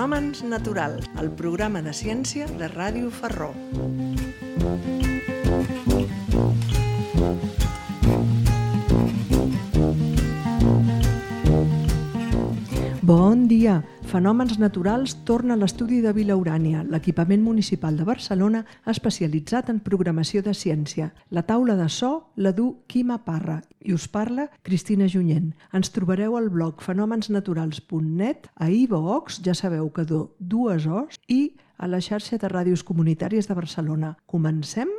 Fenòmens naturals, el programa de ciència de Ràdio Ferró. Bon dia! Fenòmens naturals torna a l'estudi de Vila Urània, l'equipament municipal de Barcelona especialitzat en programació de ciència. La taula de so la du Quima Parra i us parla Cristina Junyent. Ens trobareu al blog fenomensnaturals.net, a iVoox, ja sabeu que dues O's, i a la xarxa de ràdios comunitàries de Barcelona. Comencem?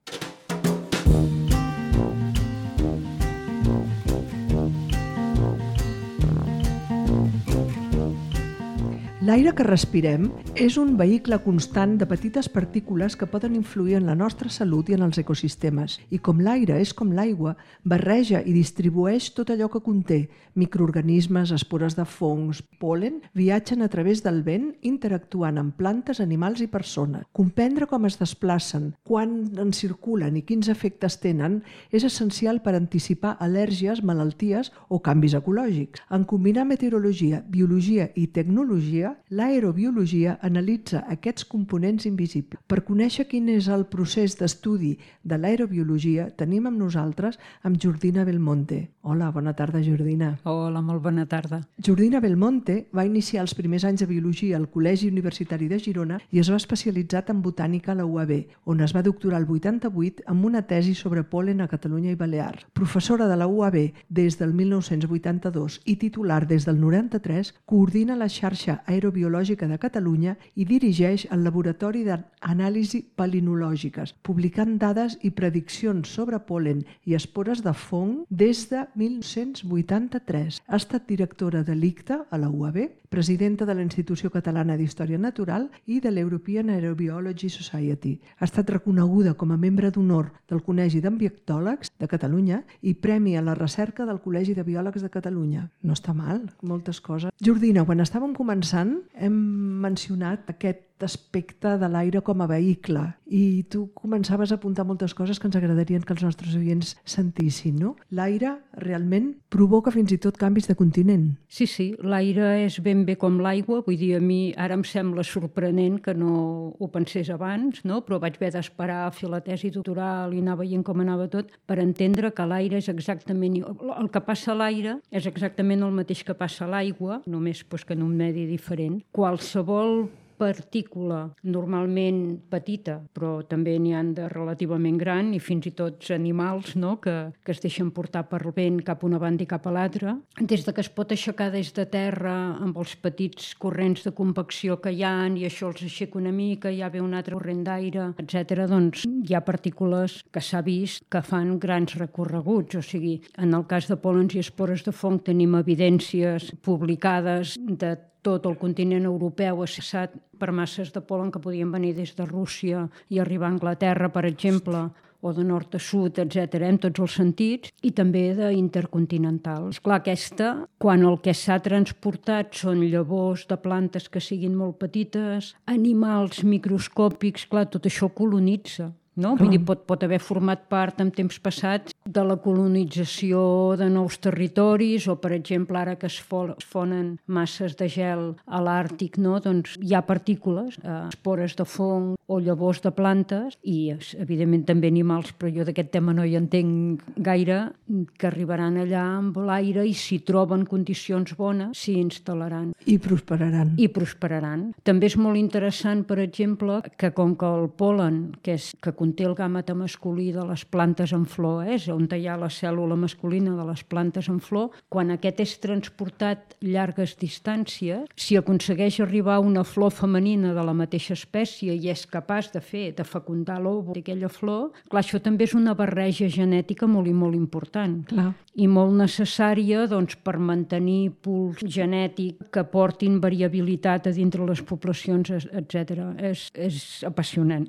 L'aire que respirem és un vehicle constant de petites partícules que poden influir en la nostra salut i en els ecosistemes. I com l'aire és com l'aigua, barreja i distribueix tot allò que conté. Microorganismes, espores de fongs, pol·len, viatgen a través del vent interactuant amb plantes, animals i persones. Comprendre com es desplacen, quan en circulen i quins efectes tenen és essencial per anticipar al·lèrgies, malalties o canvis ecològics. En combinar meteorologia, biologia i tecnologia, l'aerobiologia analitza aquests components invisibles. Per conèixer quin és el procés d'estudi de l'aerobiologia, tenim amb nosaltres amb Jordina Belmonte. Hola, bona tarda, Jordina. Hola, molt bona tarda. Jordina Belmonte va iniciar els primers anys de biologia al Col·legi Universitari de Girona i es va especialitzar en botànica a la UAB, on es va doctorar el 88 amb una tesi sobre pol·len a Catalunya i Balears. Professora de la UAB des del 1982 i titular des del 93, coordina la xarxa aerobiològica de Catalunya i dirigeix el Laboratori d'Anàlisi Palinològiques, publicant dades i prediccions sobre pol·len i espores de fong des de 1983. Ha estat directora de l'ICTA a la UAB, presidenta de la Institució Catalana d'Història Natural i de l'European Aerobiology Society. Ha estat reconeguda com a membre d'honor del Col·legi d'Ambientòlegs de Catalunya i premi a la recerca del Col·legi de Biòlegs de Catalunya. No està mal, moltes coses. Jordina, quan estàvem començant hem mencionat aquest aspecte de l'aire com a vehicle i tu començaves a apuntar moltes coses que ens agradarien que els nostres oients sentissin, no? L'aire realment provoca fins i tot canvis de continent. Sí, l'aire és ben bé com l'aigua, vull dir, a mi ara em sembla sorprenent que no ho pensés abans, no? Però vaig haver d'esperar a fer la tesi doctoral i anar veient com anava tot per entendre que l'aire és exactament... El que passa a l'aire és exactament el mateix que passa a l'aigua, només que en un medi diferent. Qualsevol partícula normalment petita, però també n'hi ha de relativament gran i fins i tot animals, no? que es deixen portar per vent cap a una banda i cap a l'altra. Des que es pot aixecar des de terra amb els petits corrents de convecció que hi ha i això els aixeca una mica, ja ve un altre corrent d'aire, etc. Doncs hi ha partícules que s'ha vist que fan grans recorreguts. O sigui, en el cas de pol·lens i espores de fong tenim evidències publicades de tot el continent europeu assessat per masses de pol·len que podien venir des de Rússia i arribar a Anglaterra, per exemple, o de nord a sud, etc., en tots els sentits, i també d'intercontinental. Esclar, aquesta, quan el que s'ha transportat són llavors de plantes que siguin molt petites, animals microscòpics, clar, tot això colonitza. No? Vull dir, pot haver format part en temps passats de la colonització de nous territoris o, per exemple, ara que es fonen masses de gel a l'Àrtic, no? Doncs hi ha partícules, espores de fong o llavors de plantes i, evidentment, també animals, però jo d'aquest tema no hi entenc gaire, que arribaran allà amb l'aire i si troben condicions bones s'hi instal·laran. I prosperaran. També és molt interessant, per exemple, que com que el pol·len, que conté el gàmeta masculí de les plantes en flor, on hi ha la cèl·lula masculina de les plantes en flor, quan aquest és transportat llargues distàncies, si aconsegueix arribar a una flor femenina de la mateixa espècie i és capaç de fecundar l'òvul d'aquella flor, clar, això també és una barreja genètica molt i molt important. Clar. I molt necessària doncs, per mantenir pools genètics que portin variabilitat a dintre les poblacions, etc. És apassionant.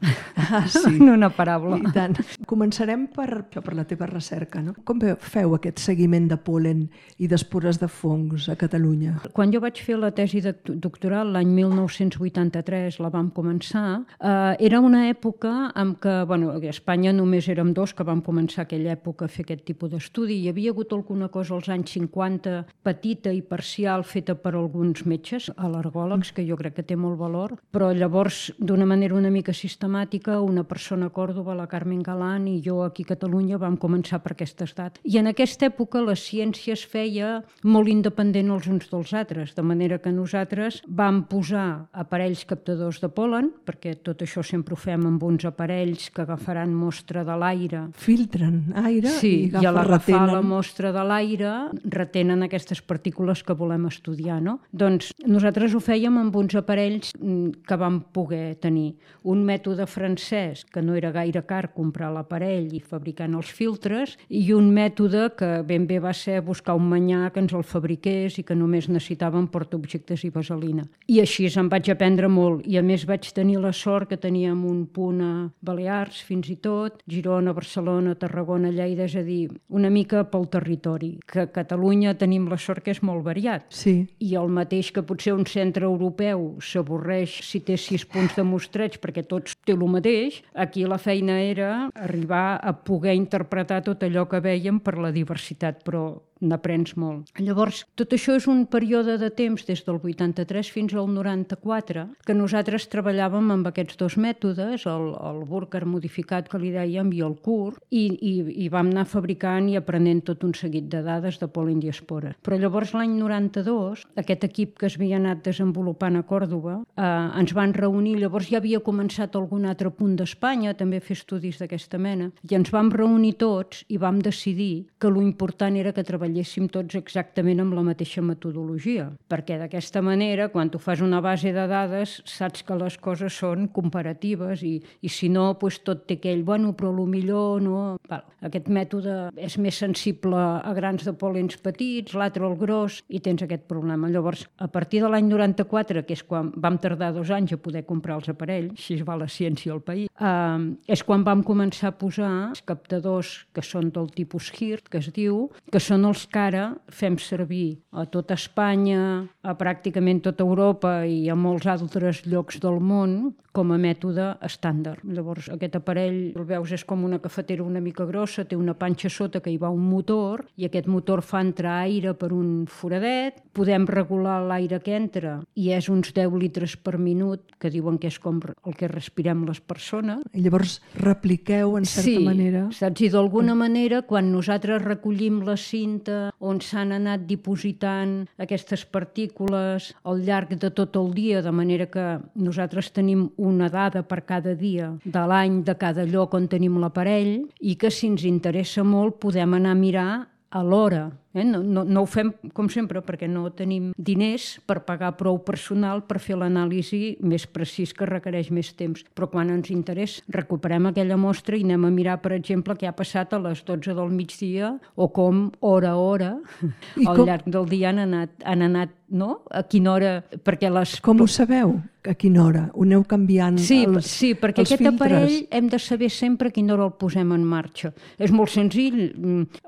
Sí. Una Bona paraula. I tant. Començarem per la teva recerca, no? Com feu aquest seguiment de pol·len i d'espores de fongs a Catalunya? Quan jo vaig fer la tesi doctoral l'any 1983, la vam començar, era una època en què, a Espanya només érem dos que vam començar aquella època a fer aquest tipus d'estudi. Hi havia hagut alguna cosa als anys 50, petita i parcial, feta per alguns metges, al·lergòlegs, que jo crec que té molt valor, però llavors, d'una manera una mica sistemàtica, una persona a Còrdova, la Carmen Galán, i jo aquí a Catalunya vam començar per aquestes dates. I en aquesta època la ciència es feia molt independent els uns dels altres, de manera que nosaltres vam posar aparells captadors de pol·len, perquè tot això sempre ho fem amb uns aparells que agafaran mostra de l'aire. Filtren aire i a l'agafar la mostra de l'aire retenen aquestes partícules que volem estudiar, no? Doncs nosaltres ho fèiem amb uns aparells que vam poder tenir. Un mètode francès, que no era gaire car comprar l'aparell i fabricant els filtres, i un mètode que ben bé va ser buscar un manyà que ens el fabriqués i que només necessitàvem portaobjectes i vaselina. I així em vaig aprendre molt, i a més vaig tenir la sort que teníem un punt a Balears, fins i tot, Girona, Barcelona, Tarragona, Lleida, és a dir, una mica pel territori, que a Catalunya tenim la sort que és molt variat. Sí. I el mateix que potser un centre europeu s'avorreix si té 6 punts de mostreig perquè tots té el mateix, aquí la feina era arribar a poder interpretar tot allò que veiem per la diversitat, però n'aprens molt. Llavors, tot això és un període de temps, des del 83 fins al 94, que nosaltres treballàvem amb aquests dos mètodes, el Burkhardt modificat que li dèiem i el CUR, i vam anar fabricant i aprenent tot un seguit de dades de pol·len i espores. Però llavors, l'any 92, aquest equip que es havia anat desenvolupant a Còrdova, ens van reunir, llavors ja havia començat algun altre punt d'Espanya, també a fer estudis d'aquesta mena, i ens vam reunir tots i vam decidir que l'important era que treballéssim tots exactament amb la mateixa metodologia, perquè d'aquesta manera, quan tu fas una base de dades, saps que les coses són comparatives i si no, doncs tot té aquell, però millor no. Aquest mètode és més sensible a grans de pol·lens petits, l'altre al gros, i tens aquest problema. Llavors, a partir de l'any 94, que és quan vam tardar 2 anys a poder comprar els aparells, així va la ciència al país, és quan vam començar a posar els captadors que són del tipus HIRT, que es diu, que són els que ara fem servir a tota Espanya, a pràcticament tota Europa i a molts altres llocs del món com a mètode estàndard. Llavors, aquest aparell, el veus, és com una cafetera una mica grossa, té una panxa sota que hi va un motor i aquest motor fa entrar aire per un foradet, podem regular l'aire que entra i és uns 10 litres per minut, que diuen que és com el que respirem les persones. I llavors repliqueu, en certa manera... Sí, saps? I d'alguna manera, quan nosaltres recollim la cinta on s'han anat dipositant aquestes partícules al llarg de tot el dia, de manera que nosaltres tenim una dada per cada dia de l'any de cada lloc on tenim l'aparell i que si ens interessa molt podem anar a mirar a l'hora. No ho fem com sempre perquè no tenim diners per pagar prou personal per fer l'anàlisi més precís que requereix més temps. Però quan ens interessa recuperem aquella mostra i anem a mirar, per exemple, què ha passat a les 12 del migdia o com hora a hora al llarg del dia han anat, no? A quina hora... Perquè les... Com ho sabeu? A quina hora? Ho aneu canviant els filtres? Sí, perquè aquest aparell hem de saber sempre a quina hora el posem en marxa. És molt senzill.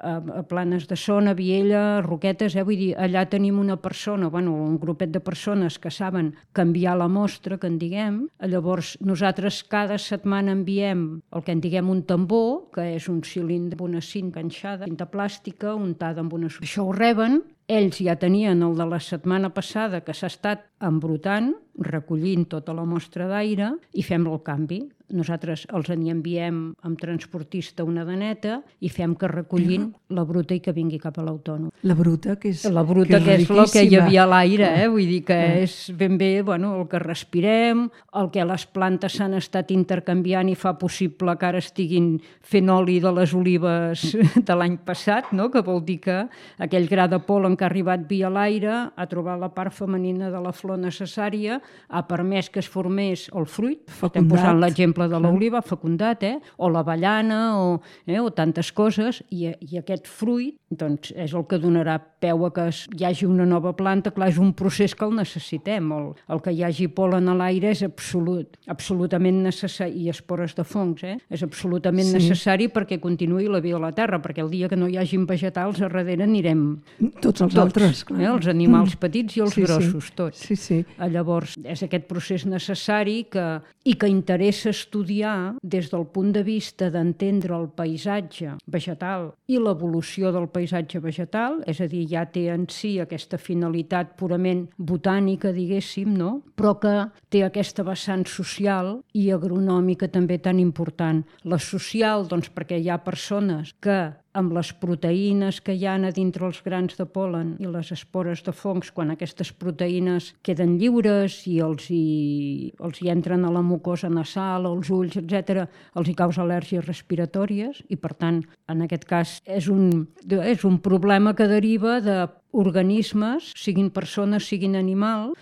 A Planes de Son, a Viella, Roquetes, vull dir, allà tenim una persona, un grupet de persones que saben canviar la mostra, que en diguem. Llavors, nosaltres cada setmana enviem el que en diguem un tambor, que és un cilindre amb una cinta enganxada, cinta plàstica, untada amb una... Això ho reben. Ells ja tenien el de la setmana passada que s'ha estat embrutant, recollint tota la mostra d'aire i fem el canvi. Nosaltres els enviem amb transportista una daneta i fem que recollin la bruta i que vingui cap a l'autònom. La bruta, que és el que hi havia a l'aire, vull dir que és ben bé el que respirem, el que les plantes s'han estat intercanviant i fa possible que ara estiguin fent oli de les olives de l'any passat, no? Que vol dir que aquell gra de pol·len que ha arribat via l'aire, ha trobat la part femenina de la flor necessària, ha permès que es formés el fruit, estem posant l'exemple de l'oliva, fecundat, o l'avellana, o tantes coses, i aquest fruit doncs, és el que donarà peu a que hi hagi una nova planta. Clar, és un procés que el necessitem. El que hi hagi pol·len a l'aire és absolutament necessari, i espores de fongs, és absolutament necessari perquè continuï la vida a la Terra, perquè el dia que no hi hagin vegetals, a darrere anirem tots els altres, clar. Els animals petits i els grossos, tots. Sí. Llavors, és aquest procés necessari i que interessa estudiar des del punt de vista d'entendre el paisatge vegetal i l'evolució del paisatge vegetal, és a dir, ja té en si aquesta finalitat purament botànica, diguéssim, no? Però que té aquesta vessant social i agronòmica també tan important. La social, doncs, perquè hi ha persones que amb les proteïnes que hi ha a dintre els grans de pol·len i les espores de fongs, quan aquestes proteïnes queden lliures i els hi entren a la mucosa nasal, als ulls, etc., els hi causa al·lèrgies respiratòries i, per tant, en aquest cas és un problema que deriva d'organismes, siguin persones, siguin animals,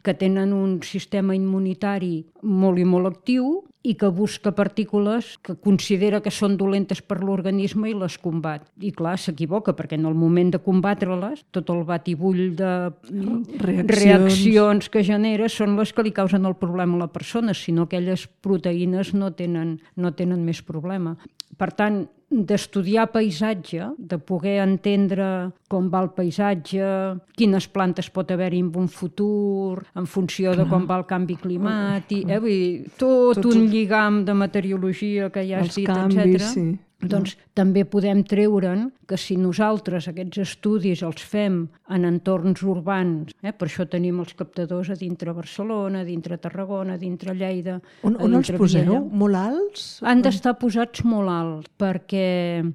que tenen un sistema immunitari molt i molt actiu i que busca partícules que considera que són dolentes per l'organisme i les combat. I clar, s'equivoca, perquè en el moment de combatre-les, tot el batibull de reaccions que genera són les que li causen el problema a la persona, sinó aquelles proteïnes no tenen més problema. Per tant, d'estudiar paisatge, de poder entendre com va el paisatge, quines plantes pot haver-hi en un futur, en funció de com va el canvi climàtic, vull dir, tot un lligam de meteorologia que ja has dit, etc. Doncs també podem treure'n que si nosaltres aquests estudis els fem en entorns urbans, per això tenim els captadors a dintre Barcelona, a dintre Tarragona, a dintre Lleida... On els poseu? Molt alts? Han d'estar posats molt alts, perquè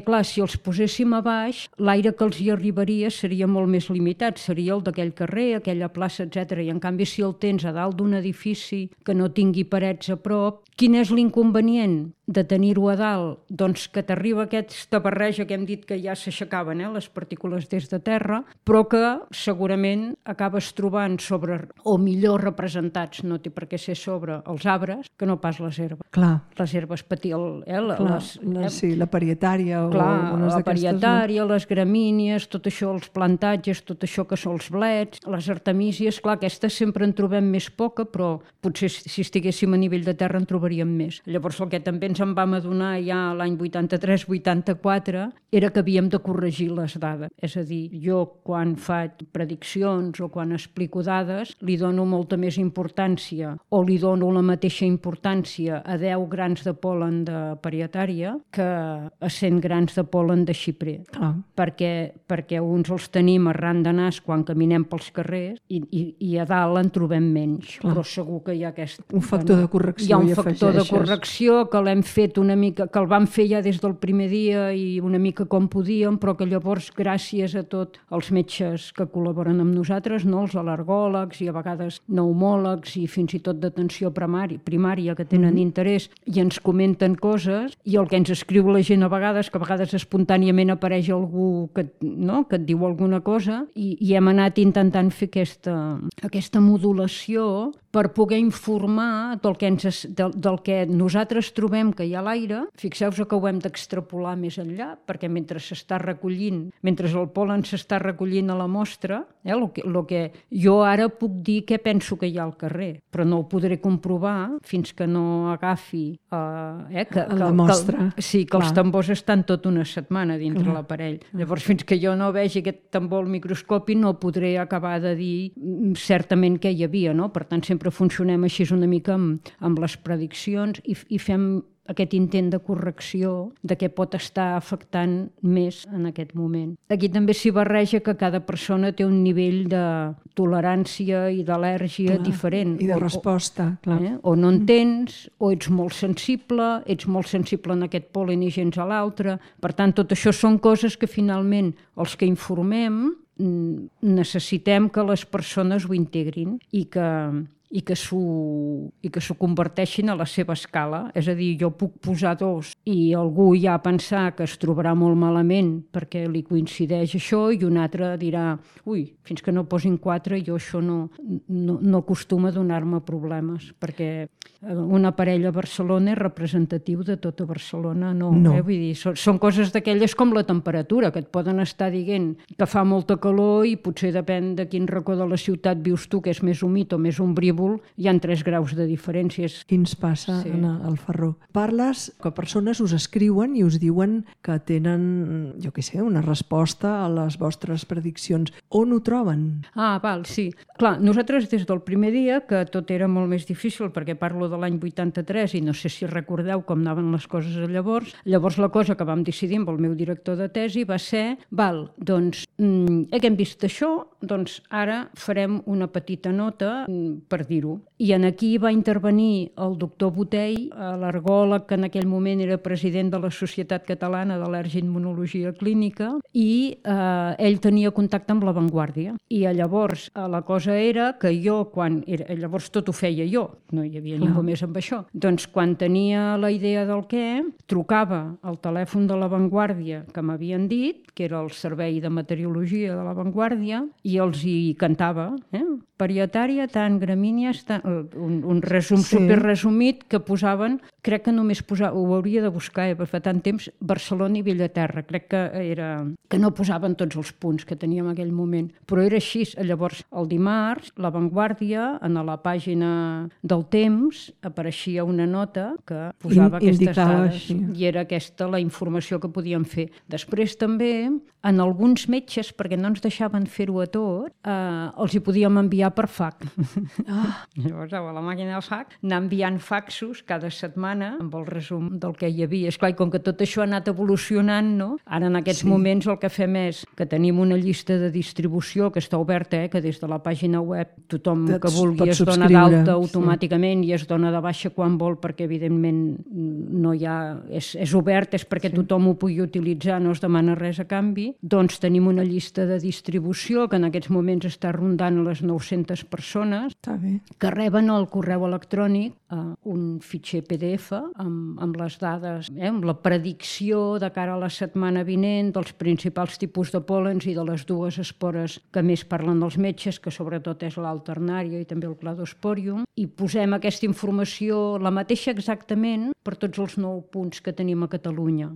clar, si els poséssim a baix, l'aire que els hi arribaria seria molt més limitat, seria el d'aquell carrer, aquella plaça, etc. I en canvi, si el tens a dalt d'un edifici que no tingui parets a prop, quin és l'inconvenient de tenir-ho a dalt? Doncs que t'arriba aquesta barreja que hem dit que ja s'aixecaven, les partícules des de terra, però que segurament acabes trobant sobre, o millor representats, no té per què ser sobre els arbres, que no pas les herbes. Clar. Les herbes la parietària. La parietària, les gramínies, tot això, els plantatges, tot això que són els blets, les artemísies, clar, aquestes sempre en trobem més poca, però potser si estiguéssim a nivell de terra en trobaríem més. Llavors el que també ens en vam adonar ja l'any 83-84 era que havíem de corregir les dades. És a dir, jo quan faig prediccions o quan explico dades li dono molta més importància o li dono la mateixa importància a 10 grans de pol·len de parietària que a 100 grans de pol·len de xiprer. Perquè uns els tenim arran de nas quan caminem pels carrers i a dalt en trobem menys. Però segur que hi ha un factor de correcció. Hi ha un factor de correcció que l'hem fet una mica, que el vam fer ja des del primer dia i una mica com podíem, però que llavors, gràcies a tots els metges que col·laboren amb nosaltres, els al·lergòlegs i a vegades pneumòlegs i fins i tot d'atenció primària que tenen interès i ens comenten coses, i el que ens escriu la gent a vegades espontàniament apareix algú que et diu alguna cosa, i hem anat intentant fer aquesta modulació per poder informar del que nosaltres trobem que hi ha a l'aire. Fixeu-vos que ho hem d'extrapolar més enllà, perquè mentre el pol·len s'està recollint a la mostra, el que jo ara puc dir què penso que hi ha al carrer, però no ho podré comprovar fins que no agafi la mostra. Que els tambors estan tot una setmana dintre l'aparell. Llavors, fins que jo no vegi aquest tambor al microscopi, no podré acabar de dir certament què hi havia, no? Per tant, sempre funcionem així una mica amb les prediccions i fem aquest intent de correcció de què pot estar afectant més en aquest moment. Aquí també s'hi barreja que cada persona té un nivell de tolerància i d'al·lèrgia diferent. I de resposta, clar. O no entens, o ets molt sensible en aquest pol·len i gens a l'altre. Per tant, tot això són coses que finalment els que informem necessitem que les persones ho integrin i i que s'ho converteixin a la seva escala. És a dir, jo puc posar 2 i algú ja pensar que es trobarà molt malament perquè li coincideix això i un altre dirà, ui, fins que no posin 4 jo això no acostuma a donar-me problemes, perquè una parella a Barcelona és representatiu de tota Barcelona, no. Vull dir, són coses d'aquelles com la temperatura, que et poden estar dient que fa molta calor i potser depèn de quin racó de la ciutat vius tu, que és més humit o més ombrívol, hi ha 3 graus de diferències. Què ens passa al Ferró? Parles que persones us escriuen i us diuen que tenen, jo què sé, una resposta a les vostres prediccions. On ho troben? Val, sí. Clar, nosaltres des del primer dia, que tot era molt més difícil, perquè parlo de l'any 83 i no sé si recordeu com anaven les coses llavors la cosa que vam decidir amb el meu director de tesi va ser, doncs hem vist això, doncs ara farem una petita nota per dir-ho. I en aquí va intervenir el doctor Botell, alergòleg que en aquell moment era president de la Societat Catalana d'Al·lergia-Immunologia Clínica, i ell tenia contacte amb La Vanguardia. I llavors la cosa era que jo, llavors tot ho feia jo, no hi havia ningú més amb això. Doncs quan tenia la idea del què, trucava al telèfon de La Vanguardia que m'havien dit, que era el servei de meteorologia de La Vanguardia, i els hi cantava, parietària, tant, gramínies, tant, un resum superresumit que posaven, crec que només ho hauria de buscar, perquè fa tant temps, Barcelona i Bellaterra, crec que no posaven tots els punts que teníem en aquell moment, però era així. Llavors, el dimarts, La Vanguardia, en la pàgina del Temps, apareixia una nota que posava aquestes dades, i era aquesta la informació que podíem fer. Després també, en alguns metges, perquè no ens deixaven fer-ho a tot, els hi podíem enviar per fax. Llavors, a la màquina del fax, anar enviant faxos cada setmana amb el resum del que hi havia. Esclar, i com que tot això ha anat evolucionant, no? Ara en aquests moments el que fem és que tenim una llista de distribució que està oberta, que des de la pàgina web tothom que vulgui es dona d'alta automàticament i es dona de baixa quan vol, perquè evidentment no hi ha... És obert, és perquè tothom ho pugui utilitzar, no es demana res a canvi. Doncs tenim una llista de distribució que en aquests moments està rondant les 900 persones que reben al correu electrònic un fitxer PDF amb les dades, amb la predicció de cara a la setmana vinent dels principals tipus de pòlens i de les 2 espores que més parlen dels metges, que sobretot és l'alternària i també el cladosporium, i posem aquesta informació, la mateixa exactament, per tots els 9 punts que tenim a Catalunya.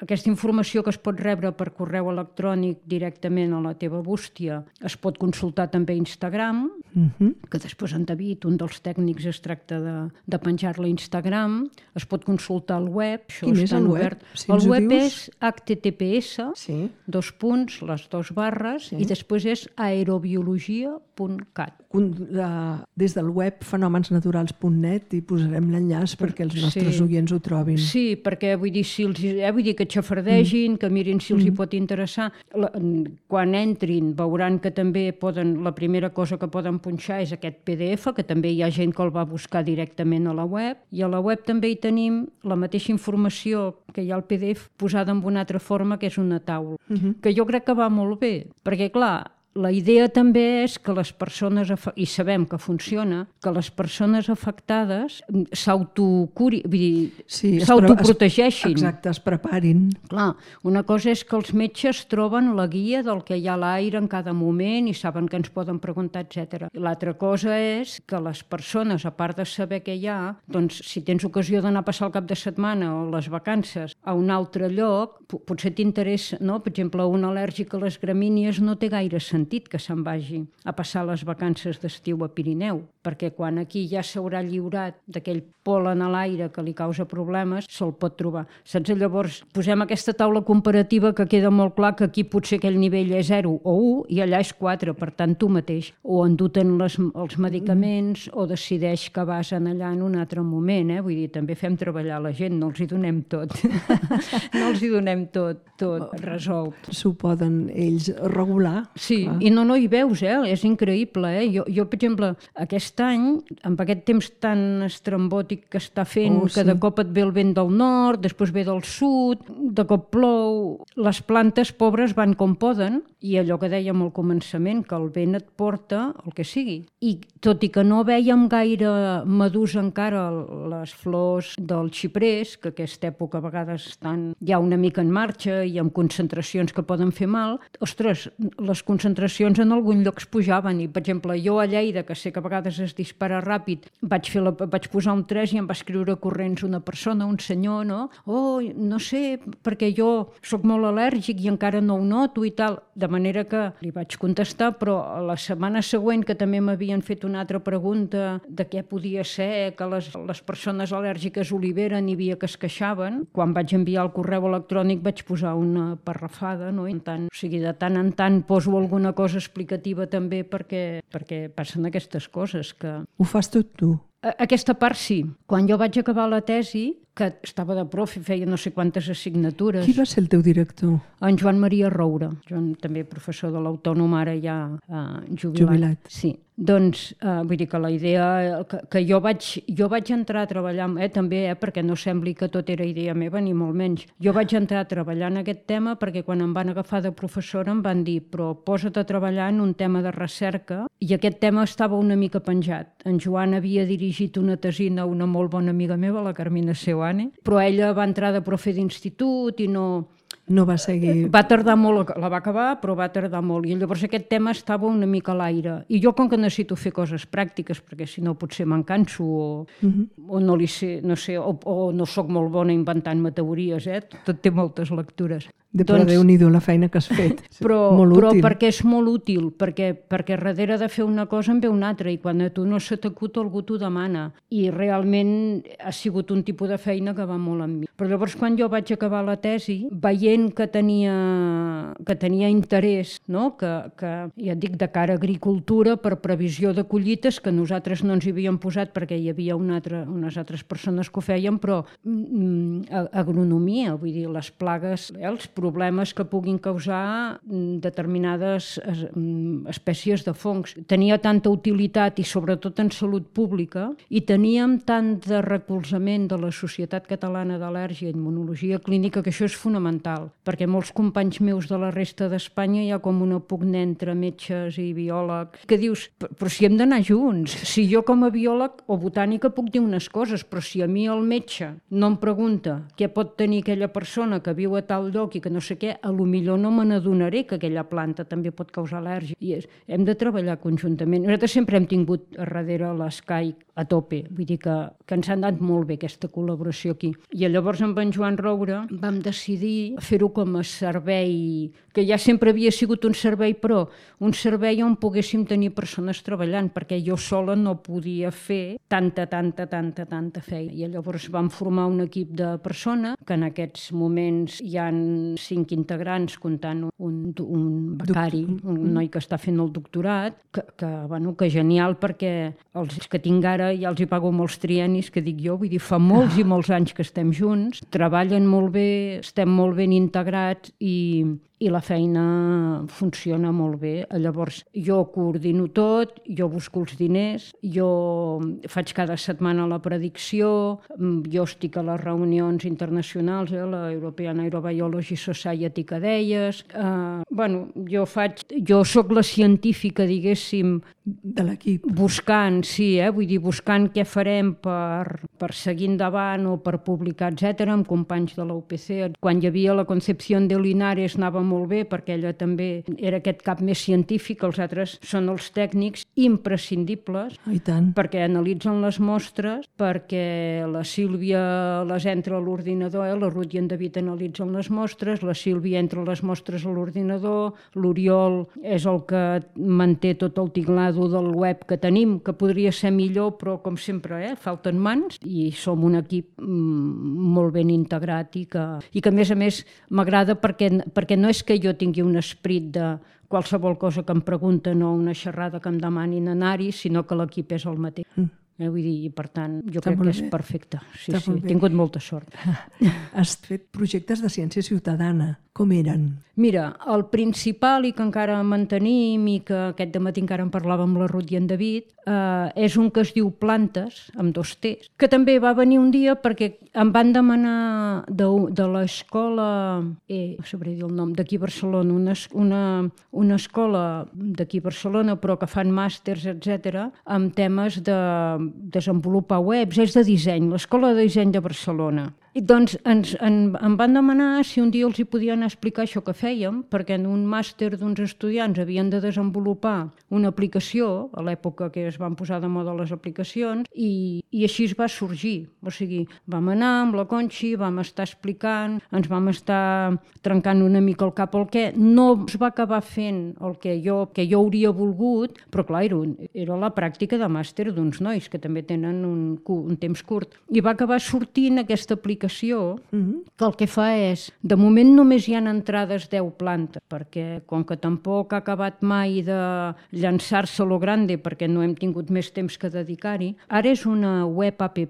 Aquesta informació que es pot rebre per correu electrònic directament a la teva bústia es pot consultar també a Instagram, que després en David, un dels tècnics, es tracta de penjar-la a Instagram, es pot consultar al web. Quin és el web? El web és https, les 2 barres, i després és aerobiologia.cat. Des del web fenomensnaturals.net hi posarem l'enllaç perquè els nostres oients ho trobin. Sí, perquè vull dir que xafardegin, que mirin si els hi pot interessar. Quan entrin veuran que també la primera cosa que poden punxar és aquest PDF, que també hi ha gent que el va buscar directament a la web, i a la web també hi tenim la mateixa informació que hi ha al PDF posada en una altra forma, que és una taula, que jo crec que va molt bé, perquè clar, la idea també és que les persones, i sabem que funciona, que les persones afectades s'autoprotegeixin. Exacte, es preparin. Clar, una cosa és que els metges troben la guia del que hi ha a l'aire en cada moment i saben que ens poden preguntar, etc. L'altra cosa és que les persones, a part de saber què hi ha, doncs si tens ocasió d'anar a passar el cap de setmana o les vacances a un altre lloc, potser t'interessa, no? Per exemple, un al·lèrgic a les gramínies no té gaire sentit que se'n vagi a passar les vacances d'estiu a Pirineu, perquè quan aquí ja s'haurà lliurat d'aquell pol·len a l'aire que li causa problemes, se'l pot trobar. Saps? Llavors, posem aquesta taula comparativa que queda molt clar que aquí potser aquell nivell és 0 o 1 i allà és 4, per tant tu mateix o enduten els medicaments o decideix que vas allà en un altre moment, vull dir, també fem treballar la gent, no els hi donem tot. No els hi donem tot resolt. S'ho poden ells regular. Sí, i no hi veus, és increïble. Jo, per exemple, aquest any, amb aquest temps tan estrambòtic que està fent, que de cop et ve el vent del nord, després ve del sud, de cop plou, les plantes pobres van com poden I allò que dèiem al començament, que el vent et porta el que sigui. I tot i que no vèiem gaire madurs encara les flors del xiprers, que aquesta època a vegades estan ja una mica en marxa i amb concentracions que poden fer mal, ostres, les concentracions en algun lloc es pujaven. I, per exemple, jo a Lleida, que sé que a vegades es dispara ràpid, vaig posar un 3 i em va escriure corrents una persona, un senyor, no? Oh, no sé, perquè jo sóc molt al·lèrgic i encara no ho noto i tal. De manera que li vaig contestar, però la setmana següent, que també m'havien fet una altra pregunta de què podia ser que les persones al·lèrgiques oliveren i via que es queixaven, quan vaig enviar el correu electrònic vaig posar una parrafada, no? O sigui, de tant en tant poso alguna cosa explicativa també perquè passen aquestes coses que... Ho fas tot tu? Aquesta part sí. Quan jo vaig acabar la tesi, que estava de prof i feia no sé quantes assignatures... Qui va ser el teu director? En Joan Maria Roura, també professor de l'Autònom, ara ja jubilat. Sí. Doncs, vull dir que la idea que jo vaig entrar a treballar, també, perquè no sembli que tot era idea meva, ni molt menys. Jo vaig entrar a treballar en aquest tema perquè quan em van agafar de professora em van dir però posa't a treballar en un tema de recerca, i aquest tema estava una mica penjat. En Joan havia dirigit una tesina a una molt bona amiga meva, la Carmina Seuane, però ella va entrar de profe d'institut i no va seguir... Va tardar molt, la va acabar, però va tardar molt. I llavors aquest tema estava una mica a l'aire. I jo, com que necessito fer coses pràctiques, perquè si no potser me'n canso o no li sé, no sé, o no sóc molt bona inventant-me teories, tot té moltes lectures. Però Déu-n'hi-do la feina que has fet. Però perquè és molt útil, perquè darrere de fer una cosa en ve una altra, i quan a tu no se t'acut algú t'ho demana. I realment ha sigut un tipus de feina que va molt amb mi. Però llavors quan jo vaig acabar la tesi, veient que tenia interès, no? que ja et dic, de cara a agricultura, per previsió de collites, que nosaltres no ens hi havíem posat perquè hi havia unes altres persones que ho feien, però agronomia, vull dir, les plagues, els problemes que puguin causar determinades espècies de fongs. Tenia tanta utilitat i sobretot en salut pública, i teníem tant de recolzament de la Societat Catalana d'Al·lèrgia i Immunologia Clínica, que això és fonamental, perquè molts companys meus de la resta d'Espanya hi ha com una pugna entre metges i biòlegs, que dius, però si hem d'anar junts, si jo com a biòleg o botànica puc dir unes coses, però si a mi el metge no em pregunta què pot tenir aquella persona que viu a tal lloc i que no sé què, a lo millor no me n'adonaré que aquella planta també pot causar al·lèrgia. I hem de treballar conjuntament. Nosaltres sempre hem tingut a darrere l'ESCAIC a tope, vull dir que ens ha anat molt bé aquesta col·laboració aquí. I llavors amb en Joan Roura vam decidir fer-ho com a servei, que ja sempre havia sigut un servei, però un servei on poguéssim tenir persones treballant, perquè jo sola no podia fer tanta feina. I llavors vam formar un equip de persones, que en aquests moments hi ha 5 integrants, comptant un becari, un noi que està fent el doctorat, que genial, perquè els que tinc ara ja els hi pago molts triennis, que dic jo, vull dir, fa molts i molts anys que estem junts, treballen molt bé, estem molt ben integrats i la feina funciona molt bé. Llavors, jo coordino tot, jo busco els diners, jo faig cada setmana la predicció, jo estic a les reunions internacionals, la European Aerobiology Society que deies. Jo sóc la científica, diguéssim, de l'equip. Buscant, sí, vull dir, buscant què farem per seguir endavant o per publicar, etc., amb companys de la UPC. Quan hi havia la Concepción de Linares anava molt bé, perquè ella també era aquest cap més científic, els altres són els tècnics imprescindibles, perquè analitzen les mostres, perquè la Sílvia les entra a l'ordinador, la Ruth i en David analitzen les mostres, la Sílvia entra les mostres a l'ordinador, l'Oriol és el que manté tot el tiglado del web que tenim, que podria ser millor, però com sempre, falten mans, i som un equip molt ben integrat i que a més m'agrada perquè no és que jo tingui un esperit de qualsevol cosa que em pregunten o una xerrada que em demanin anar-hi, sinó que l'equip és el mateix. Vull dir, i per tant, jo crec que és perfecte. Sí, he tingut molta sort. Has fet projectes de ciència ciutadana. Com eren? Mira, el principal i que encara mantenim i que aquest dematí encara en parlàvem amb la Ruth i en David, és un que es diu Plantes, amb 2 T's, que també va venir un dia perquè em van demanar de l'escola, no sabré dir el nom, d'aquí a Barcelona, una escola d'aquí a Barcelona, però que fan màsters, etc., amb temes de desenvolupar webs, és de disseny, l'Escola de Disseny de Barcelona. I doncs em van demanar si un dia els hi podien explicar això que fèiem, perquè en un màster d'uns estudiants havien de desenvolupar una aplicació, a l'època que es van posar de moda les aplicacions, i així es va sorgir. O sigui, vam anar amb la Conxi, vam estar explicant, ens vam estar trencant una mica el cap al què. No es va acabar fent el que jo hauria volgut, però clar, era la pràctica de màster d'uns nois que també tenen un temps curt. I va acabar sortint aquesta aplicació que el que fa és, de moment només hi ha entrades 10 plantes, perquè com que tampoc ha acabat mai de llançar-se a lo grande, perquè no hem tingut més temps que dedicar-hi, ara és una web app,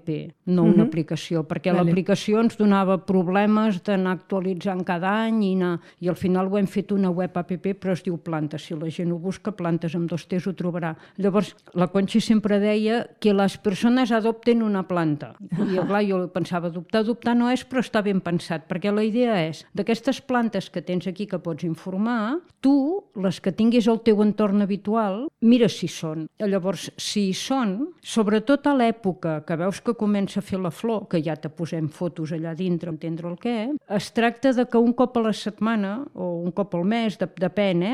no una aplicació, perquè l'aplicació ens donava problemes d'anar actualitzant cada any i al final ho hem fet una web app, però es diu Plantes. Si la gent ho busca, Plantes amb 2 T's ho trobarà. Llavors, la Conxi sempre deia que les persones adopten una planta. I clar, jo pensava, adoptar no és, però està ben pensat, perquè la idea és, d'aquestes plantes que tens aquí que pots informar, tu, les que tinguis al teu entorn habitual, mira si són. Llavors, si hi són, sobretot a l'època que veus que comença a fer la flor, que ja te posem fotos allà dintre, entendre el què, es tracta de que un cop a la setmana, o un cop al mes, depèn,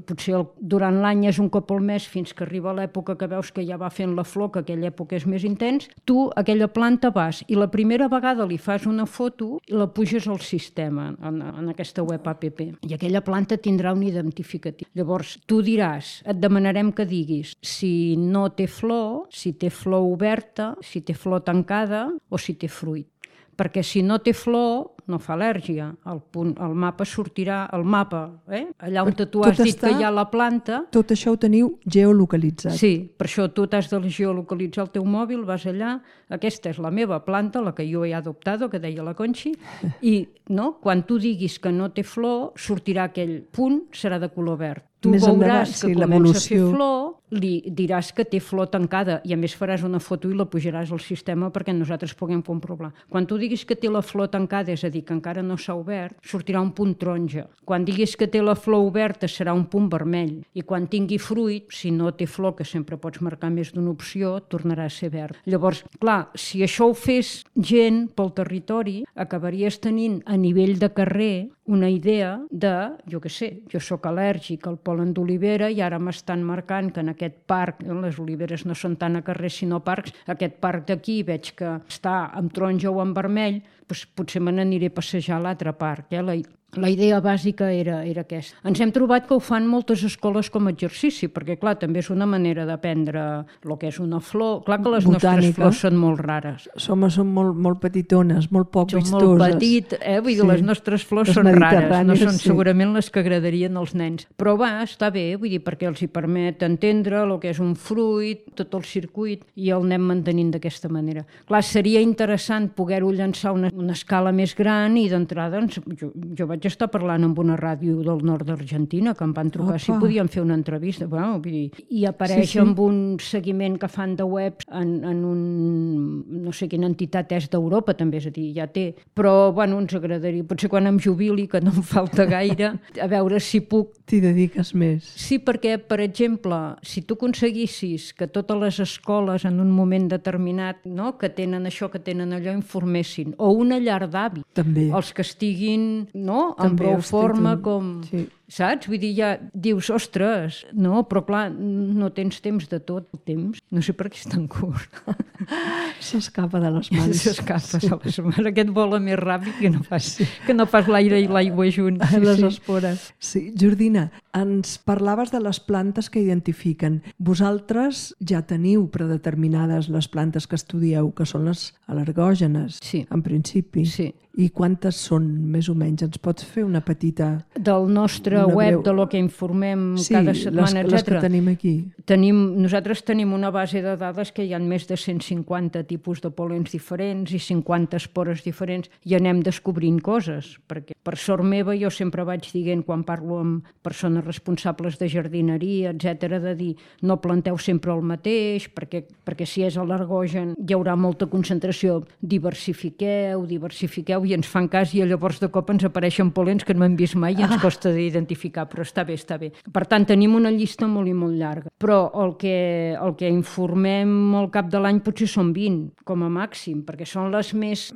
potser durant l'any és un cop al mes fins que arriba l'època que veus que ja va fent la flor, que aquella època és més intens, tu, aquella planta vas, i la primera vegada li fas una foto i la puges al sistema, en aquesta web app. I aquella planta tindrà un identificatiu. Llavors, tu diràs, et demanarem que diguis si no té flor, si té flor oberta, si té flor tancada o si té fruit. Perquè si no té flor, no fa al·lèrgia. El mapa sortirà, allà on tu has dit que hi ha la planta... Tot això ho teniu geolocalitzat. Sí, per això tu t'has de geolocalitzar el teu mòbil, vas allà, aquesta és la meva planta, la que jo he adoptat, que deia la Conxi, i quan tu diguis que no té flor, sortirà aquell punt, serà de color verd. Tu veuràs que comença a fer flor, li diràs que té flor tancada i a més faràs una foto i la pujaràs al sistema perquè nosaltres puguem comprovar. Quan tu diguis que té la flor tancada, és a dir, que encara no s'ha obert, sortirà un punt taronja. Quan diguis que té la flor oberta, serà un punt vermell. I quan tingui fruit, si no té flor, que sempre pots marcar més d'una opció, tornarà a ser verd. Llavors, clar, si això ho fes gent pel territori, acabaries tenint a nivell de carrer una idea de, jo què sé, jo sóc al·lèrgic al pol·len d'olivera i ara m'estan marcant que en aquest parc, les oliveres no són tant a carrers sinó parcs, aquest parc d'aquí veig que està amb taronja o amb vermell, doncs potser me n'aniré a passejar a l'altre parc. La idea bàsica era aquesta. Ens hem trobat que ho fan moltes escoles com a exercici, perquè, clar, també és una manera d'aprendre el que és una flor. Clar que les nostres flors són molt rares. Són molt petitones, molt poc vistoses. Són molt petit, vull dir, les nostres flors són rares, no són segurament les que agradarien als nens. Però està bé, vull dir, perquè els hi permet entendre el que és un fruit, tot el circuit, i el anem mantenint d'aquesta manera. Clar, seria interessant poder-ho llançar a una escala més gran i d'entrada, jo vaig estar parlant amb una ràdio del nord d'Argentina que em van trucar si podien fer una entrevista. I apareix amb un seguiment que fan de webs en no sé quina entitat és d'Europa, també, és a dir, ja té. Però, ens agradaria, potser quan em jubili, que no em falta gaire, a veure si puc... T'hi dediques més. Sí, perquè, per exemple, si tu aconseguissis que totes les escoles en un moment determinat, que tenen això, que tenen allò, informessin, o una llar d'avi, els que estiguin, en prou forma com... Saps? Vull dir, ja dius, ostres, però clar, no tens temps de tot el temps. No sé per què és tan curt. S'escapa de les mans. S'escapa de les mans. Aquest vola més ràpid que no pas l'aire i l'aigua junts. Les espores. Sí, Jordina, ens parlaves de les plantes que identifiquen. Vosaltres ja teniu predeterminades les plantes que estudieu, que són les al·lergògenes, en principi. Sí. I quantes són, més o menys? Ens pots fer una petita... Del nostre pàgina web de lo que informem cada setmana, etc. Les que tenim aquí. Nosaltres tenim una base de dades que hi ha més de 150 tipus de pol·lens diferents i 50 espores diferents i anem descobrint coses, perquè per sort meva jo sempre vaig dient quan parlo amb persones responsables de jardineria, etc., de dir no planteu sempre el mateix, perquè si és al·lergogen hi haurà molta concentració, diversifiqueu, i ens fan cas i llavors de cop ens apareixen pol·lens que no hem vist mai i ens costa d'identificar, però està bé. Per tant, tenim una llista molt i molt llarga, però el que informem al cap de l'any potser són 20, com a màxim, perquè són les més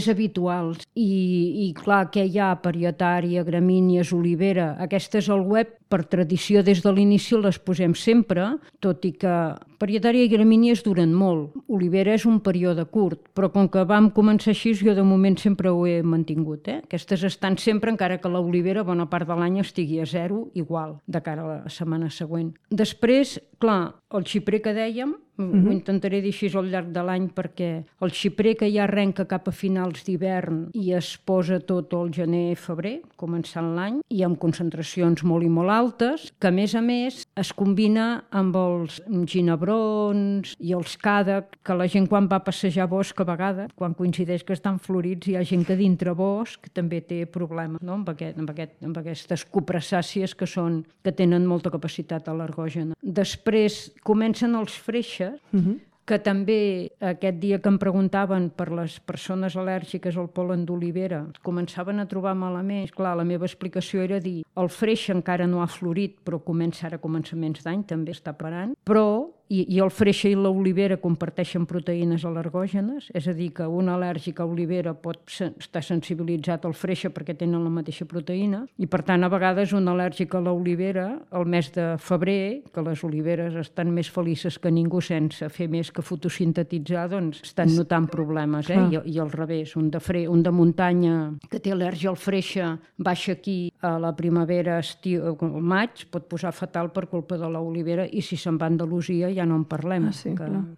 habituals. I clar, què hi ha? Parietària, gramínies, olivera, aquestes al web, per tradició des de l'inici les posem sempre, tot i que parietària i gramínies duren molt. Olivera és un període curt, però com que vam començar així, jo de moment sempre ho he mantingut. Aquestes estan sempre, encara que l'olivera bona part de l'any estigui a 0, igual, de cara a la setmana següent. Després, clar, el xiprer que dèiem, ho intentaré dir així al llarg de l'any, perquè el xiprer que ja arrenca cap a finals d'hivern i es posa tot el gener-febrer, començant l'any, i amb concentracions molt i molt altes, que a més es combina amb els ginebrons i els càdec, que la gent quan va a passejar bosc a vegades, quan coincideix que estan florits, hi ha gent que dintre bosc també té problemes, no? amb aquestes copressàcies que tenen molta capacitat al·lergògena. Després comencen els freixes, que també aquest dia que em preguntaven per les persones al·lèrgiques al pol·len d'olivera començaven a trobar malament. Clar, la meva explicació era dir, el freix encara no ha florit, però comença ara a començaments d'any, també està parant, però i el freixe i l'olivera comparteixen proteïnes al·lergògenes, és a dir, que un al·lèrgic a olivera pot estar sensibilitzat al freixe perquè tenen la mateixa proteïna, i per tant a vegades un al·lèrgic a l'olivera, el mes de febrer, que les oliveres estan més felices que ningú sense fer més que fotosintetitzar, doncs estan notant problemes, I al revés, un de muntanya que té al·lèrgia al freixe baixa aquí a la primavera, estiu, al maig, pot posar fatal per culpa de l'olivera, i si se'n va a Andalusia ja no en parlem,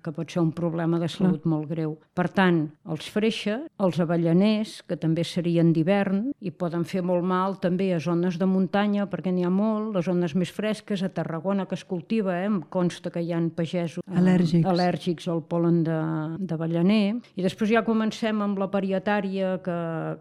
que pot ser un problema de salut molt greu. Per tant, els freixes, els avellaners, que també serien d'hivern i poden fer molt mal també a zones de muntanya, perquè n'hi ha molt, les zones més fresques, a Tarragona que es cultiva, em consta que hi ha pagesos al·lèrgics al pol·len d'avellaner. I després ja comencem amb la parietària, que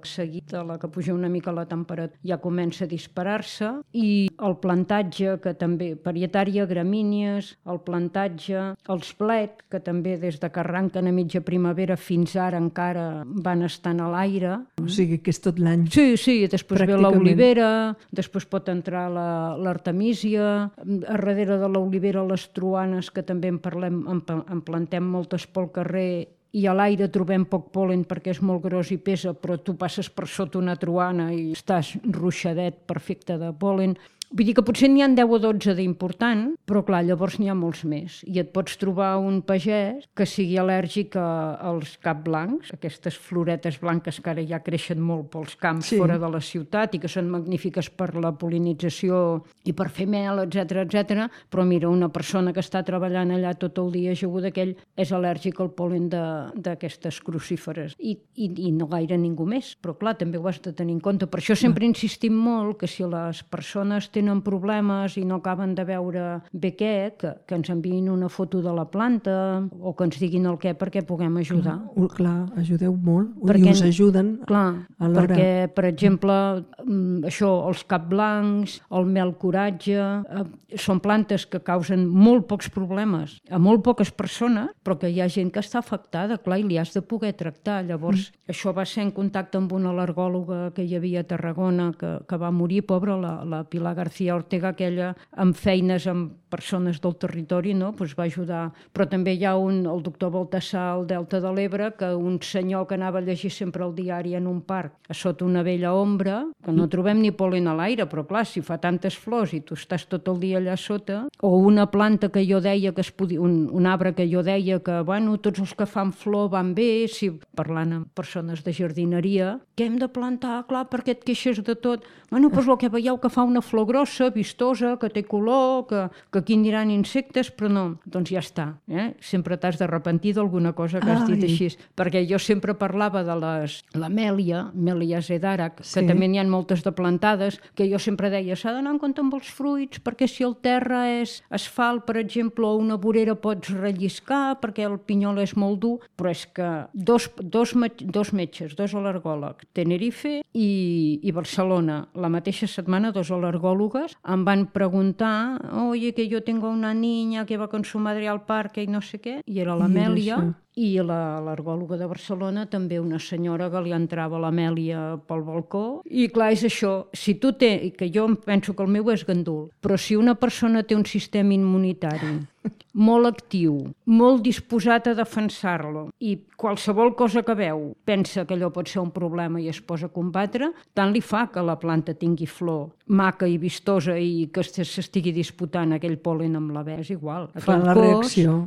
seguit de la que puja una mica la temperatura ja comença a disparar-se, i el plantatge, que també, parietària, gramínies, el plantatge, els blet, que també des de que arranquen a mitja primavera fins ara encara van estant a l'aire. O sigui que és tot l'any. Sí, després ve l'olivera, després pot entrar l'artemísia, a darrere de l'olivera les truanes, que també en plantem moltes pel carrer, i a l'aire trobem poc pol·len perquè és molt gros i pesa, però tu passes per sota una truana i estàs ruixadet perfecte de pol·len. Vull dir que potser n'hi ha 10 o 12 d'important, però clar, llavors n'hi ha molts més. I et pots trobar un pagès que sigui al·lèrgic als capblancs, aquestes floretes blanques que ara ja creixen molt pels camps fora de la ciutat i que són magnífiques per la pol·linització i per fer mel, etc. Però mira, una persona que està treballant allà tot el dia ajaguda, aquell és al·lèrgic al pol·len d'aquestes crucíferes. I no gaire ningú més, però clar, també ho has de tenir en compte. Per això sempre insistim molt que si les persones tenen problemes i no acaben de veure bé què, que ens enviïn una foto de la planta o que ens diguin el què perquè puguem ajudar. Clar, ajudeu molt i us ajuden alhora. Perquè, per exemple, això, els capblancs, el mel coratge, són plantes que causen molt pocs problemes a molt poques persones, però que hi ha gent que està afectada, clar, i li has de poder tractar. Llavors, això va ser en contacte amb una al·lergòloga que hi havia a Tarragona, que va morir, pobra, la Pilar García Ortega, aquella amb feines amb persones del territori, no? Pues va ajudar. Però també hi ha el doctor Baltasar al Delta de l'Ebre, que un senyor que anava a llegir sempre el diari en un parc, a sota una vella ombra, que no trobem ni pol·len a l'aire, però clar, si fa tantes flors i tu estàs tot el dia allà sota, o una planta que jo deia que es podia, un arbre que jo deia que, bueno, tots els que fan flor van bé, si parlant amb persones de jardineria, què hem de plantar? Clar, perquè et queixes de tot. Bueno, doncs el que veieu que fa una flor grossa, grossa, vistosa, que té color, que aquí aniran insectes, però no, doncs ja està. Sempre t'has d'arrepentir d'alguna cosa que has dit així. Perquè jo sempre parlava de l'Amèlia, Amelia Zedarac, que també n'hi ha moltes de plantades, que jo sempre deia, s'ha d'anar en compte amb els fruits, perquè si el terra és asfalt, per exemple, o una vorera pots relliscar, perquè el pinyol és molt dur, però és que dos metges, dos al·lergòlegs, Tenerife i Barcelona, la mateixa setmana, dos al·lergòlogues, em van preguntar, oye, que yo tengo una niña que va con su madre al parque i no sé què, i era l'Amèlia, i l'al·lergòloga de Barcelona també una senyora que li entrava l'Amèlia pel balcó. I clar, és això, si tu que jo penso que el meu és gandul, però si una persona té un sistema immunitari molt actiu, molt disposat a defensar-lo i qualsevol cosa que veu pensa que allò pot ser un problema i es posa a combatre, tant li fa que la planta tingui flor maca i vistosa i que s'estigui disputant aquell pol·len amb la és igual. Fa la reacció,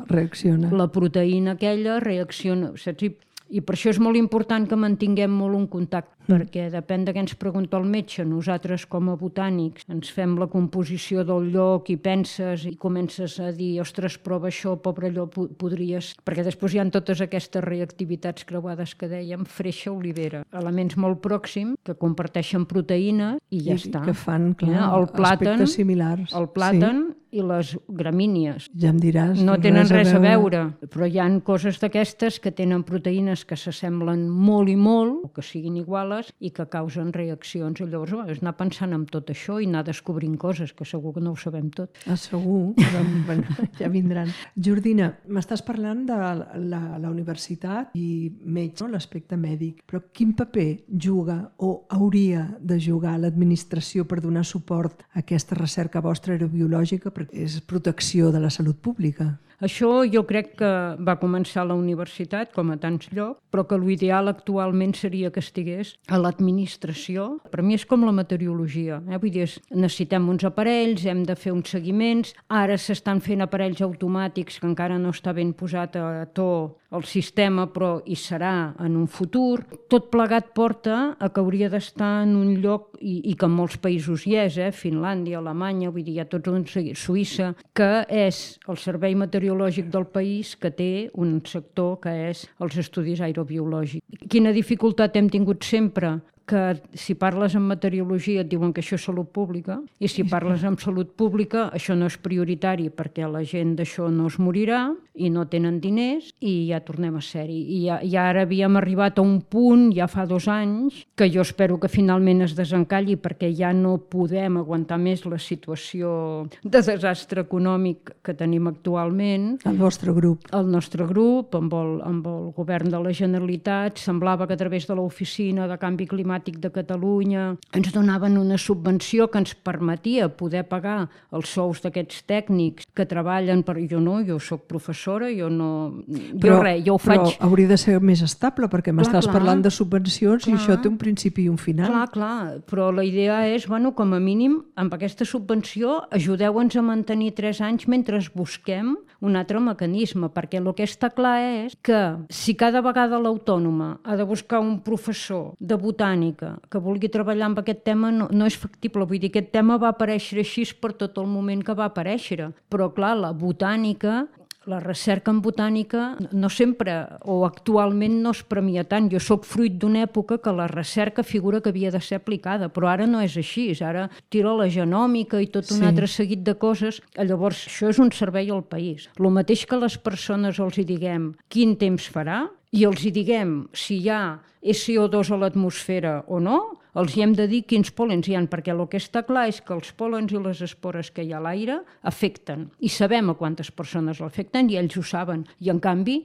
reacciona. La proteïna aquella reacciona, saps? I per això és molt important que mantinguem molt un contacte, perquè depèn de què ens pregunta el metge. Nosaltres, com a botànics, ens fem la composició del lloc i penses i comences a dir, ostres, prova això, pobre allò, podries... Perquè després hi ha totes aquestes reactivitats creuades que dèiem, freixa, olivera, elements molt pròxims que comparteixen proteïna i ja està. Que fan, clar, aspectes similars. El plàtan i les gramínies. Ja em diràs. No tenen res a veure, però hi ha coses d'aquestes que tenen proteïnes que s'assemblen molt i molt, o que siguin iguales, i que causen reaccions. I llavors és anar pensant en tot això i anar descobrint coses, que segur que no ho sabem tot. Segur, però bueno, ja vindran. Jordina, m'estàs parlant de la universitat i metge, l'aspecte mèdic, però quin paper juga o hauria de jugar l'administració per donar suport a aquesta recerca vostra aerobiològica, perquè és protecció de la salut pública? Això jo crec que va començar a la universitat, com a tants llocs, però que l'ideal actualment seria que estigués a l'administració. Per mi és com la meteorologia. Vull dir, necessitem uns aparells, hem de fer uns seguiments, ara s'estan fent aparells automàtics que encara no està ben posat a to el sistema, però hi serà en un futur. Tot plegat porta a que hauria d'estar en un lloc, i que en molts països hi és, Finlàndia, Alemanya, vull dir, hi ha tots uns, Suïssa, que és el servei meteorològic del país que té un sector que és els estudis aerobiològics. Quina dificultat hem tingut sempre? Que si parles en meteorologia et diuen que això és salut pública i si parles en salut pública això no és prioritari perquè la gent d'això no es morirà i no tenen diners i ja tornem a ser-hi. I ara havíem arribat a un punt, ja fa 2 anys, que jo espero que finalment es desencalli perquè ja no podem aguantar més la situació de desastre econòmic que tenim actualment. El vostre grup. El nostre grup, amb el govern de la Generalitat, semblava que a través de l'Oficina de Canvi Climàtic de Catalunya ens donaven una subvenció que ens permetia poder pagar els sous d'aquests tècnics que treballen per... Jo soc professora, jo ho faig... Però hauria de ser més estable perquè m'estàs parlant de subvencions i això té un principi i un final. Clar, però la idea és, com a mínim, amb aquesta subvenció ajudeu-nos a mantenir 3 anys mentre busquem un altre mecanisme, perquè el que està clar és que si cada vegada l'Autònoma ha de buscar un professor de botànica que vulgui treballar amb aquest tema no és factible. Vull dir, aquest tema va aparèixer així per tot el moment que va aparèixer. Però, clar, la botànica, la recerca en botànica no sempre o actualment no es premia tant. Jo soc fruit d'una època que la recerca figura que havia de ser aplicada, però ara no és així. Ara tira la genòmica i tot un altre seguit de coses. Llavors, això és un servei al país. El mateix que les persones els hi diguem quin temps farà i els hi diguem si hi ha CO2 a l'atmosfera o no, els hi hem de dir quins pol·lens hi ha, perquè el que està clar és que els pol·lens i les espores que hi ha a l'aire afecten, i sabem a quantes persones l'afecten i ells ho saben. I en canvi,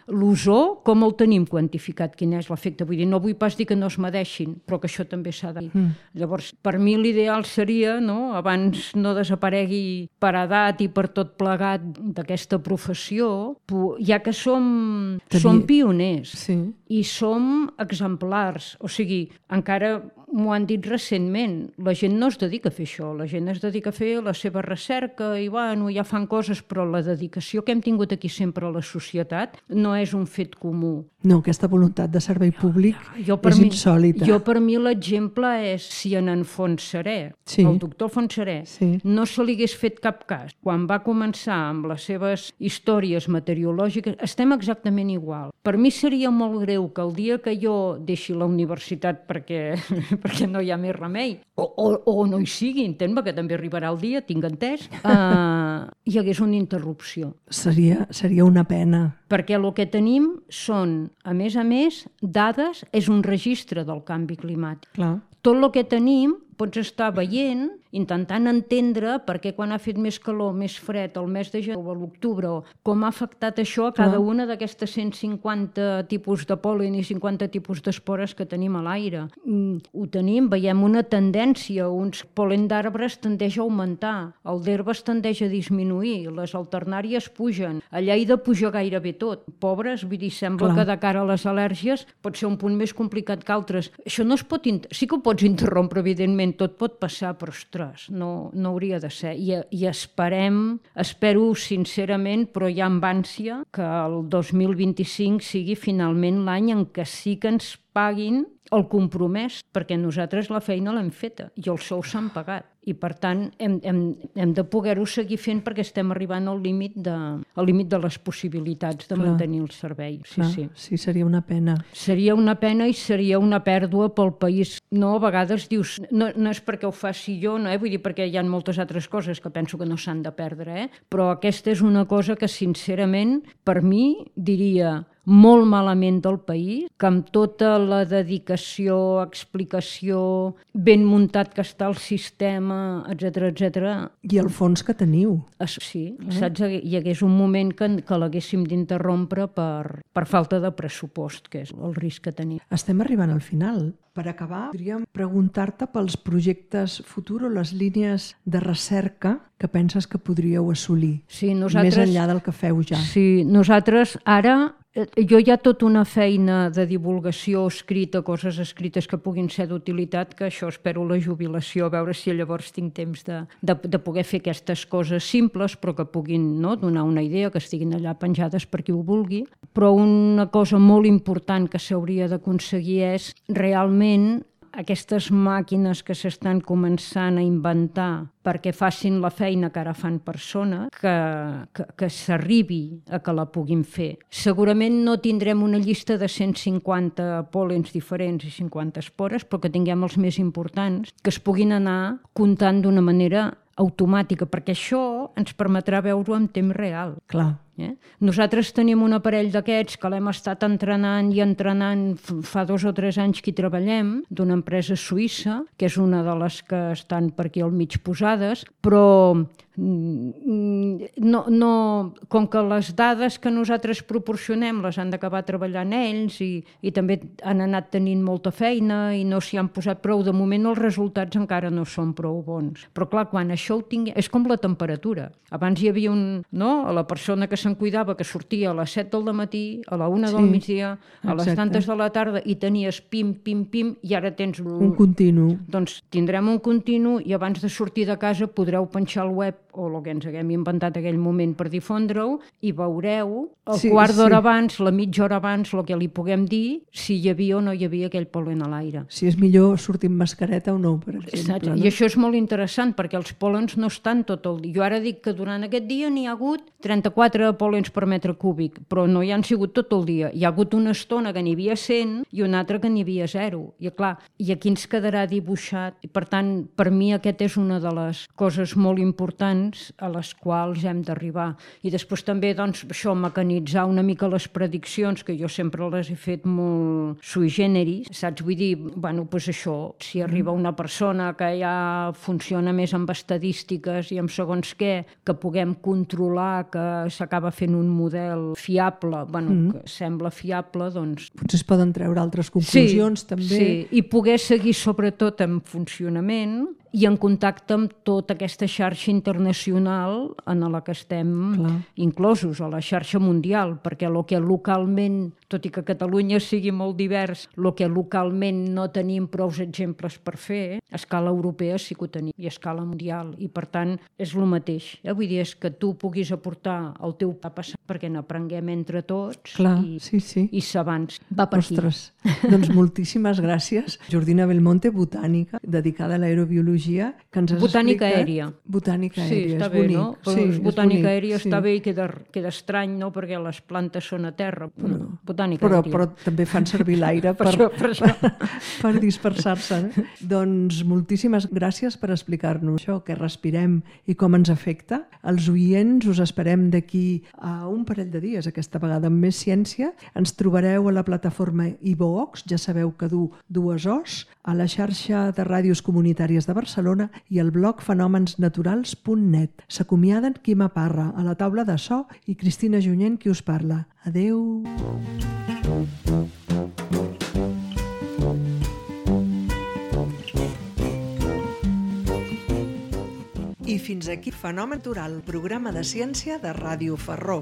l'ozó, com el tenim quantificat, quin és l'efecte? Vull dir, no vull pas dir que no es medeixin, però que això també s'ha de dir. Llavors, per mi l'ideal seria, abans no desaparegui per edat i per tot plegat d'aquesta professió, ja que som pioners i som exemplars, o sigui, encara m'ho han dit recentment, la gent no es dedica a fer això, la gent es dedica a fer la seva recerca i bueno, ja fan coses, però la dedicació que hem tingut aquí sempre a la societat no és un fet comú. No, aquesta voluntat de servei públic és insòlita. Per mi l'exemple és si en Fontserè, el doctor Fontserè, no se li hagués fet cap cas. Quan va començar amb les seves històries meteorològiques, estem exactament igual. Per mi seria molt greu que el dia que jo deixi la universitat perquè no hi ha més remei, o no hi sigui, entén-me, que també arribarà el dia, tinc entès, hi hagués una interrupció. Seria una pena. Perquè el que tenim són, a més, dades, és un registre del canvi climàtic. Clar. Tot el que tenim pots estar veient, intentant entendre per què quan ha fet més calor, més fred, el mes de gener o a l'octubre, com ha afectat això a cada una d'aquestes 150 tipus de pol·len i 50 tipus d'espores que tenim a l'aire. Ho tenim, veiem una tendència, uns pol·len d'arbres tendeix a augmentar, el d'herbes tendeix a disminuir, les alternàries pugen, a Lleida puja gairebé tot. Pobres, vull dir, sembla que de cara a les al·lèrgies pot ser un punt més complicat que altres. Això no es pot... Sí que ho pots interrompre, evidentment, tot pot passar, però ostres, no hauria de ser. I espero sincerament, però ja amb ànsia, que el 2025 sigui finalment l'any en què sí que ens paguin el compromès, perquè nosaltres la feina l'hem feta i els sous s'han pagat. I, per tant, hem de poder-ho seguir fent perquè estem arribant al límit de les possibilitats de mantenir el servei. Sí, seria una pena. Seria una pena i seria una pèrdua pel país. No, a vegades dius, no és perquè ho faci jo, no, vull dir, perquè hi ha moltes altres coses que penso que no s'han de perdre, però aquesta és una cosa que, sincerament, per mi, diria molt malament del país, que amb tota la dedicació, explicació, ben muntat que està el sistema, etc. I el fons que teniu. Sí, saps? Hi hagués un moment que l'haguéssim d'interrompre per falta de pressupost, que és el risc que tenim. Estem arribant al final. Per acabar, podríem preguntar-te pels projectes futurs o les línies de recerca que penses que podríeu assolir, més enllà del que feu ja. Sí, nosaltres ara... Jo hi ha tota una feina de divulgació escrita, coses escrites que puguin ser d'utilitat, que això espero la jubilació, a veure si llavors tinc temps de poder fer aquestes coses simples, però que puguin donar una idea, que estiguin allà penjades per qui ho vulgui. Però una cosa molt important que s'hauria d'aconseguir és realment aquestes màquines que s'estan començant a inventar perquè facin la feina que ara fan persones, que s'arribi a que la puguin fer. Segurament no tindrem una llista de 150 pol·lens diferents i 50 espores, però que tinguem els més importants, que es puguin anar comptant d'una manera automàtica, perquè això ens permetrà veure-ho en temps real. Clar. Nosaltres tenim un aparell d'aquests que l'hem estat entrenant fa 2 o 3 anys que hi treballem, d'una empresa suïssa, que és una de les que estan per aquí al mig posades, però com que les dades que nosaltres proporcionem les han d'acabar treballant ells i també han anat tenint molta feina i no s'hi han posat prou, de moment els resultats encara no són prou bons. Però clar, quan això ho tinguem... És com la temperatura. Abans hi havia la persona que se'n cuidava, que sortia a les 7 del matí, a la 1 del migdia, a les tantes de la tarda, i tenies pim, i ara tens... Un continu. Doncs tindrem un continu i abans de sortir de casa podreu penjar al web o el que ens haguem inventat en aquell moment per difondre-ho i veureu el quart d'hora abans, la mitja hora abans, el que li puguem dir, si hi havia o no hi havia aquell pol·len a l'aire. Si és millor sortir amb mascareta o no, per exemple. I això és molt interessant perquè els pol·lens no estan tot el dia. Jo ara dic que durant aquest dia n'hi ha hagut 34 pol·lens per metre cúbic, però no hi han sigut tot el dia. Hi ha hagut una estona que n'hi havia 100 i una altra que n'hi havia 0. I clar, i aquí ens quedarà dibuixat. I per tant, per mi aquesta és una de les coses molt importants a les quals hem d'arribar. I després també, doncs, això, mecanitzar una mica les prediccions, que jo sempre les he fet molt sui generis, saps? Vull dir, bueno, doncs això, si arriba una persona que ja funciona més amb estadístiques i amb segons què, que puguem controlar, que s'acaba fent un model fiable, bueno, que sembla fiable, doncs... Potser es poden treure altres conclusions, també. Sí, i poder seguir sobretot en funcionament i en contacte amb tota aquesta xarxa internacional en la que estem inclosos, a la xarxa mundial, perquè el que localment, tot i que Catalunya sigui molt divers, el que localment no tenim prou exemples per fer, a escala europea sí que ho tenim, i a escala mundial, i per tant és el mateix. Vull dir, és que tu puguis aportar el teu passat perquè n'aprenguem entre tots i s'avanci. Va per aquí. Ostres, doncs moltíssimes gràcies. Jordina Belmonte, botànica, dedicada a l'aerobiologia, que ens has botànica explicat... aèria. Botànica aèria, està és bé, bonic. No? Però botànica aèria està bé i queda estrany, no? Perquè les plantes són a terra. Botànica aèria. Però també fan servir l'aire per dispersar-se. Doncs moltíssimes gràcies per explicar-nos això, què respirem i com ens afecta. Els oients us esperem d'aquí a un parell de dies, aquesta vegada amb més ciència. Ens trobareu a la plataforma iVox, ja sabeu que du 2 Os, a la xarxa de ràdios comunitàries de Barcelona i al blog fenomensnaturals.net. S'acomiaden Quima Parra, a la taula de so, i Cristina Junyent, qui us parla. Adeu! I fins aquí Fenomen Natural, programa de ciència de Ràdio Ferró.